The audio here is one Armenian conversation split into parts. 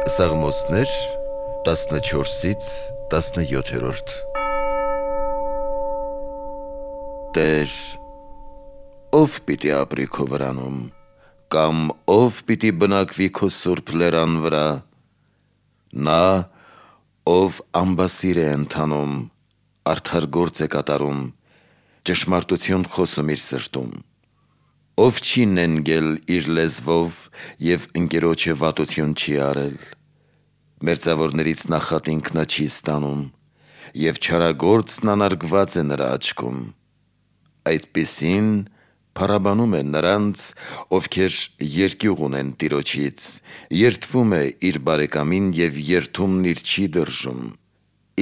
Սաղմոսներ 14-ից 17-րդ Տեր, ով պիտի ապրի քո վրանում, կամ ով պիտի բնակվի քո սուրբ լերան վրա, նա, ով ամբասիր է ընթանում, արդար գործ է կատարում, ճշմարտություն խոսում իր սրտում, ով չի նենգել իր լեզվով և ընկերոջը վատություն չի արել, մերձավորներից նախատինք նա չի ստանում, և չարագործն անարգված է նրա աչքում, այդպիսին փառաբանում է նրանց, ովքեր երկյուղ ունեն Տիրոջից, երդվում է իր բարեկամին և երդումն իր չի դրժում,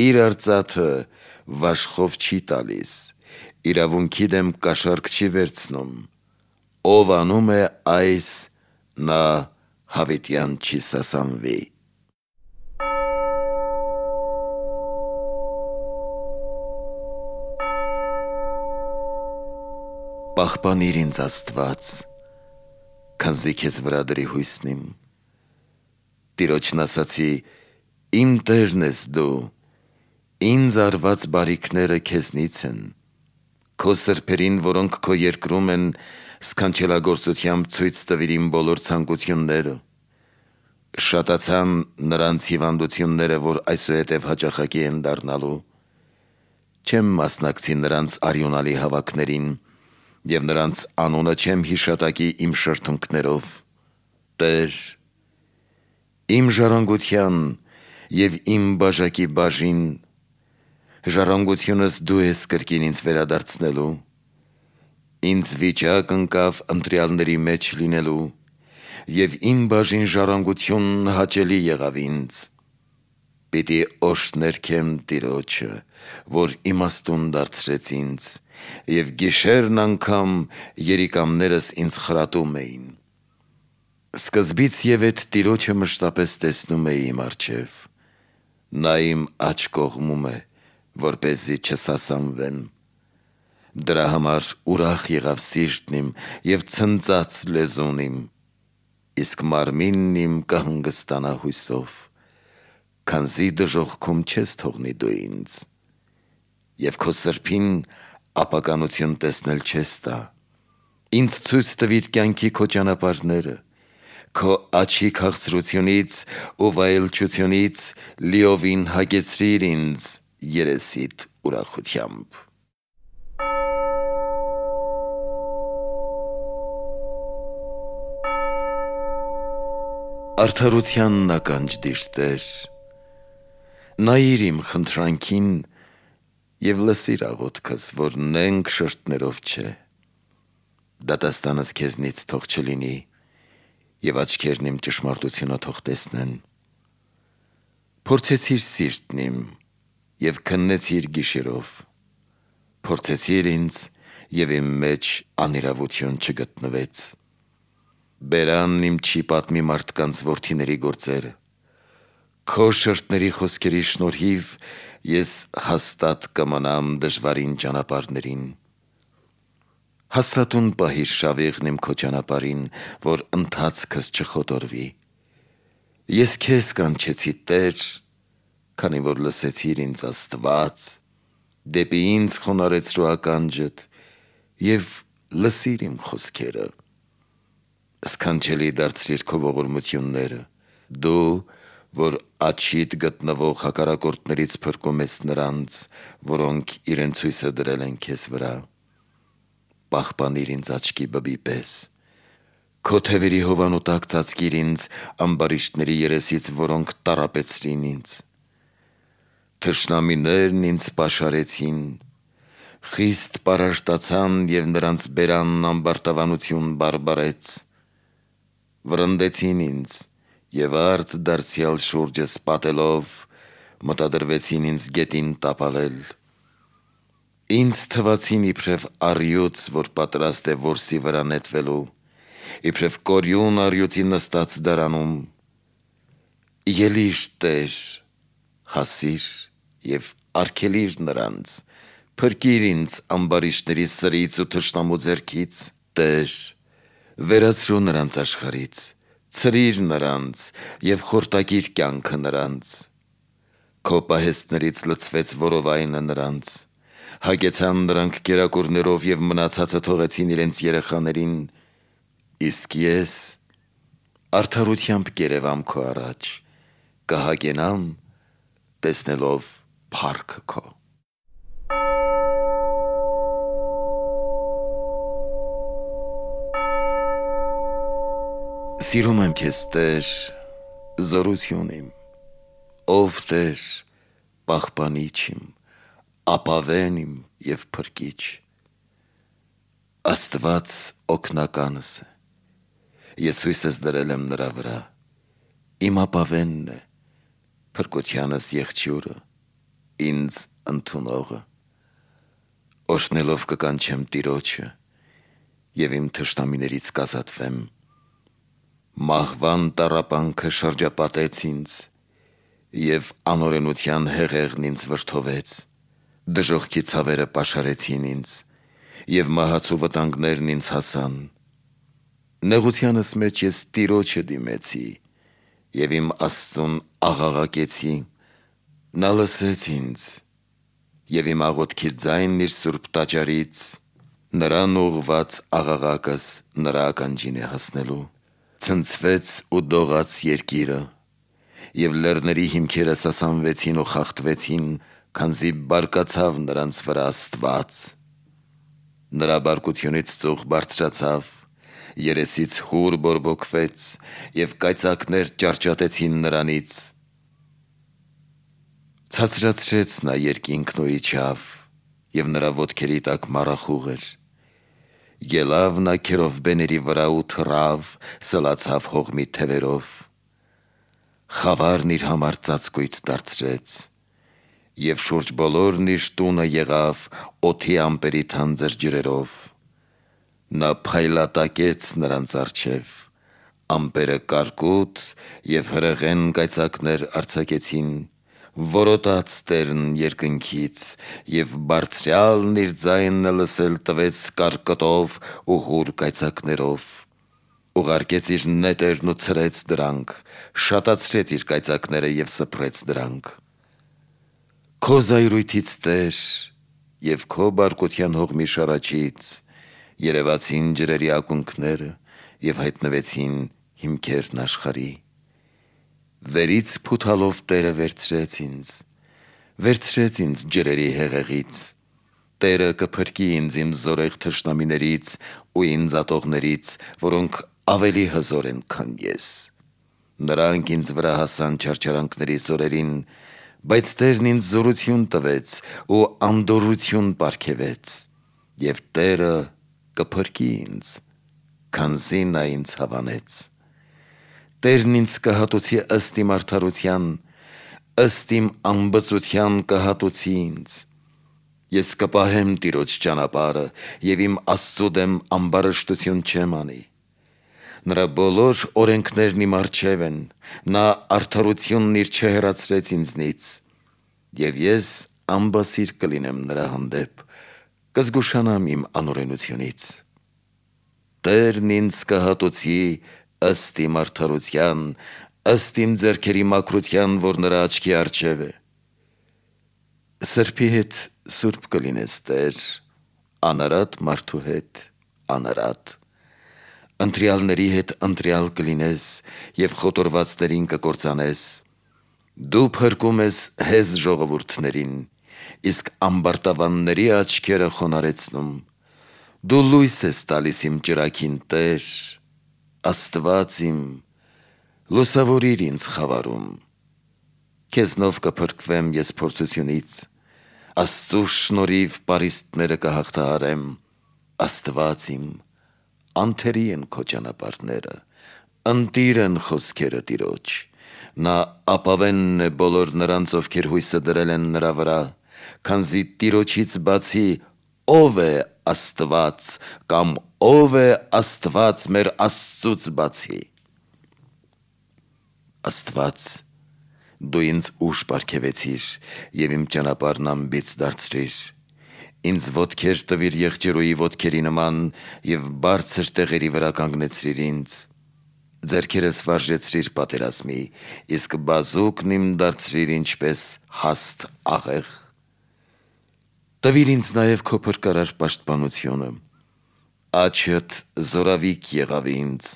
իր արծաթը վաշխով չի տալիս, իրավունքի դեմ կաշառք չի վերցնում, ով անում է այս, նա հավիտյան չի սասանվի։ Պահպանիր ինձ Աստված, քանզի քեզ վրա դրի հույսն իմ, Տիրոջն ասացի, իմ Տերն ես դու, ինձ արված բարիքները քեզնից են, քո սրբերին, որոնք քո երկրում են, սքանչելագործությամբ ցույց տվիր իմ բոլոր ցանկությունները, շատացան նրանց հիվանդությունները, որ այսուհետև հաճախակի են դառնալու, չեմ մասնակցի նրանց արյունալի հավաքներին, և նրանց անունը չեմ հիշատակի իմ շրթունքներով, Տեր, իմ ժառանգության և իմ բաժակի բաժին, ժառանգությունս դու ես կրկին ինձ վերադարձնելու, ինձ վիճակ ընկավ ընտրյալների մեջ լինելու, և իմ բաժին ժառանգությունն հաճելի եղավ ինձ, պիտի օրհներգեմ Տիրոջը, որ իմաստուն դարձրեց ինձ, և գիշերն անգամ երիկամներս ինձ խրատում էին, սկզբից և էդ Տիրոջը մշտապես տեսնում էի իմ առջև, նա իմ աջ կողմում է, որպեսզի չսասանվեմ, դրա համար ուրախ եղավ սիրտն իմ և ցնծաց լեզուն իմ, իսկ մարմինն իմ կհանգստանա հույսով, քանզի դժոխքում չես թողնի դու ինձ, և քո սրբին ապականություն տեսնել չես տա, ինձ ցույց տվիր կյանքի քո ճանապարհները, քո աջի քաղցրությունից ու վայելչությունից լիովին հագեցրիր ինձ երեսիդ ուրախությամբ։ Արդարությանն ականջ դիր, Տեր, նայիր իմ խնդրանքին և լսիր աղոթքս, որ նենգ շրթներով չէ, դատաստանս քեզնից թող չլինի, և աչքերն իմ ճշմարտությունը թող տեսնեն, փորձեցիր սիրտն իմ և քննեցիր գիշերով, փորձեցիր ինձ և իմ մեջ անիրավություն չգտնվեց, բերանն իմ չի պատմի մարդկանց որդիների գործերը, քո շրթների խոսքերի շնորհիվ ես հաստատ կմնամ դժվարին ճանապարհներին, հաստատուն պահիր շավիղն իմ քո ճանապարհին, որ ընթացքս չխոտորվի, ես քեզ կանչեցի, Տեր, քանի որ լսեցիր ինձ Աստված, դեպի ինձ խոնարհեցրու ականջդ և լսիր իմ խոսքերը, սքանչելի դարձրիր քո ողորմությունները, դու, որ աջիդ գտնվող հակառակորդներից փրկում ես նրանց, որոնք իրենց հույսը դրել են քեզ վրա, պահպանիր ինձ աչքի բբի պես, քո թևերի հովանու տակ ծածկիր ինձ ամբարիշտների երեսից, որոնք տառապեցրին ինձ, թշնամիներն ինձ պաշարեցին, խիստ պարարտացան և նրանց բերանն ամբարտավանություն բարբարեց, վրընդեցին ինձ և արդ դարձյալ շուրջս պատելով, մտադրվեցին ինձ գետին տապալել, ինձ թվացին իբրև առյուծ, որ պատրաստ է որսի վրա նետվելու, իբրև կորյուն առյուծի նստած դարանում, ելիր, Տեր, հասիր և արգելիր նրանց, փրկիր ինձ ամբարիշտների սրից ու թշնամու ձեռքից, Տեր, վերացրու նրանց աշխարհից, ցրիր նրանց եւ խորտակիր կյանքը նրանց։ Քո պահեստներից լցվեց որովայնը նրանց, հագեցան նրանք կերակուրներով եւ մնացածը թողեցին իրենց երեխաներին, իսկ ես արդարությամբ կերևամ քո առաջ, կհագենամ տեսնելով փառքը քո։ Սիրում եմ քեզ, Տեր, զորություն իմ, ով Տեր, պահպանիչ իմ, ապավեն իմ եւ փրկիչ, Աստված օգնականս է, ես հույսս դրել եմ նրա վրա, իմ ապավենն է, փրկությանս եղջյուրը, ինձ ընդունողը, օրհնելով կկանչեմ Տիրոջը եւ իմ թշնամիներից կազատվեմ։ Մահվան տառապանքը շրջապատեց ինձ եւ անօրենության հեղեղն ինձ վրդովեց, դժոխքի ցավերը պաշարեցին ինձ եւ մահացու վտանգներն ինձ հասան։ Նեղությանս մեջ ես Տիրոջը դիմեցի եւ իմ Աստծուն աղաղակեցի, նա լսեց ինձ եւ իմ աղոթքի ձայնն իր սուրբ տաճարից, նրան ուղված աղաղակս նրա ականջին է հասնելու։ Ցնցվեց ու դողաց երկիրը, եւ լեռների հիմքերը սասանվեցին ու խախտվեցին, քանզի բարկացավ նրանց վրա Աստված։ Նրա բարկությունից ծուխ բարձրացավ, երեսից հուր բորբոքվեց, եւ կայծակներ ճարճատեցին նրանից։ Ցածրացրեց նա երկինքն ու իջավ, եւ նրա ոտքերի տակ մառախուղ էր։ Ելավ նա քերովբեների վրա ու թռավ, սլացավ հողմի թևերով։ Խավարն իր համար ծածկույթ դարձրեց, եւ շուրջ բոլորն իր տունը եղավ օդի ամպերի թանձր ջրերով։ Նա փայլատակեց նրանց առջև, ամպերը կարկուտ եւ հրեղեն կայծակներ արձակեցին, որոտաց Տերն երկնքից, եւ բարձրյալն իր ձայնը լսել տվեց կարկտով ու հուր կայծակներով, ուղարկեց իր նետերն ու ցրեց դրանք, շատացրեց իր կայծակները եւ սփռեց դրանք։ Քո զայրույթից, Տեր, եւ քո բարկության հողմի շարաչից երևացին ջրերի ակունքները եւ հայտնվեցին հիմքերն աշխարհի։ Վերից փութալով Տերը վերցրեց ինձ ջրերի հեղեղից, Տերը կփրկի ինձ իմ զորեղ թշնամիներից ու ինձ ատողներից, որոնք ավելի հզոր են, քան ես։ Նրանք ինձ վրա հասան չարչարանքների զորերին, բայց Տերն ինձ զորություն տվեց ու անդորրություն պարգևեց, եւ Տերը կփրկի ինձ, քանզի նա ինձ հավանեց։ Տերն ինձ կհատուցի ըստ իմ արդարության, ըստ իմ ամբծության կհատուցի ինձ։ Ես կպահեմ Տիրոջ ճանապարհը եւ իմ Աստծու դեմ ամբարշտություն չեմ անի։ Նրա բոլոր օրենքներն իմ առջև են, նա արդարությունն իր չհեռացրեց ինձնից, եւ ես ամբասիր կլինեմ նրա հանդեպ, կզգուշանամ իմ անօրենությունից։ Տերն ինձ կհատուցի ըստ իմ արդարության, ըստ իմ ձեռքերի մաքրության, որ նրա աչքի առջև է։ Սրբի հետ սուրբ կլինես, Տեր, անարատ մարդու հետ անարատ, ընտրյալների հետ ընտրյալ կլինես եւ խոտորվածներին կկործանես։ Դու փրկում ես հեզ ժողովուրդներին, իսկ ամբարտավանների աչքերը խոնարեցնում։ Դու լույս ես տալիս իմ ճրագին, Տեր, Աստված իմ, լուսավորիր ինձ խավարում։ Քեզնով կփրկվեմ ես փորձությունից, Աստծու շնորհիվ պարիսպները կհաղթահարեմ։ Աստված իմ, անթերի են քո ճանապարհները, ընտիր են խոսքերը Տիրոջ։ Նա ապավենն է բոլոր նրանց, ովքեր հույսը դրել են նրա վրա, քանզի Տիրոջից բացի ով է Աստված, կամ ով է Աստված մեր Աստծուց բացի։ Աստված, դու ինձ ուժ պարգևեցիր եւ իմ ճանապարհն ամբից դարձրիր։ Ինձ ոտքեր տվիր եղջերուի ոտքերի նման եւ բարձր տեղերի վրա կանգնեցրիր ինձ։ ձեռքերս վարժեցրիր պատերազմի, իսկ բազուկն իմ դարձրիր ինչպես հաստ աղեղ։ Տվիր ինձ նաև քո փրկարար պաշտպանությունը, աչդ զորավիկ եղավ ինձ,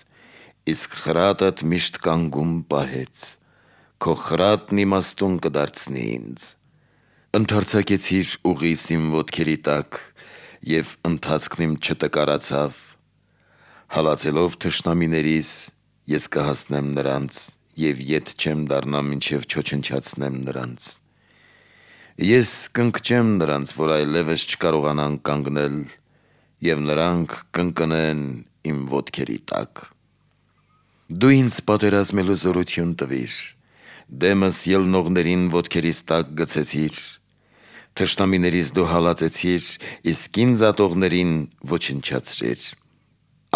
իսկ խրատդ միշտ կանգում պահեց, քո խրատն իմաստուն կդարձնի ինձ։ Ընդարձակեցիր ուղիս իմ ոտքերի տակ, և ընթացքն իմ չտկարացավ, հալածելով թշնամիներիս, ես կհասնեմ նրանց, և ետ չեմ դառնա մինչև չոչնչացնեմ նրանց։ Ես կընկճեմ նրանց, որ այլևս չկարողանան կանգնել, և նրանք կընկնեն իմ ոտքերի տակ։ Դու ինձ պատերազմելու զորություն տվիր, դեմս ելնողներին ոտքերիս տակ գցեցիր, թշնամիներիս դու հալածեցիր, իսկ ինձ ատողներին ոչնչացրիր։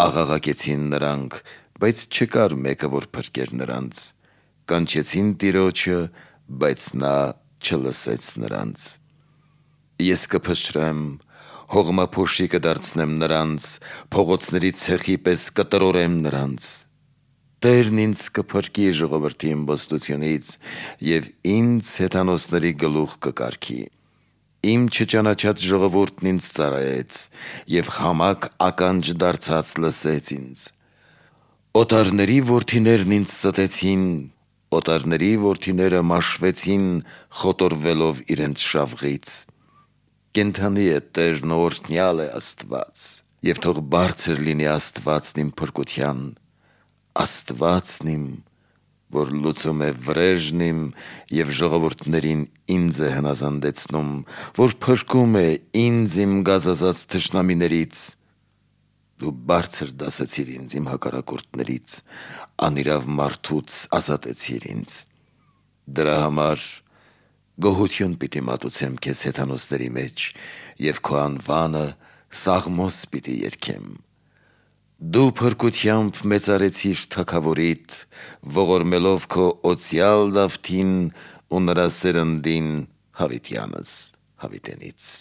Աղաղակեցին նրանք, բայց չկար մեկը, որ փրկեր նրանց, կանչեցին Տիրոջը, բայց նա չլսեց նրանց։ Ես կփշրեմ, հողմափոշի կդարձնեմ նրանց, փողոցների ցեխի պես կտրորեմ նրանց։ Տերն ինձ կփրկի ժողովրդի իմբոստությունից և ինձ հեթանոսների գլուխ կկարգի։ Իմ չճանաչած ժողովուրդն ինձ ծառայեց և խամակ ականջ դարձած լսեց ինձ։ Օտարների որդիներն ինձ ստեցին, օտարների որդիները մաշվեցին խոտորվելով իրենց շավղից։ Կենդանի է Տերն ու օրհնյալ է Աստված, և թող բարձր լինի Աստվածն իմ փրկության, Աստվածն իմ, որ լուծում է վրեժն իմ և ժողովուրդներին ինձ է հնազանդեցնում, որ փրկում է ինձ իմ գազազած թշնամիներից։ Դու բարձր դասեցիր ինձ իմ հակառակորդներից, անիրավ մարդուց ազատեցիր ինձ։ Դրա համար գոհություն պիտի մատուցեմ քեզ հեթանոսների մեջ և քո անվանը սաղմոս պիտի երգեմ։ Դու փրկությամբ մեծարեցիր թագավորիդ, ողորմելով քո օծյալ Դավթին ու նրա սերնդին հավիտյանս հավիտենից։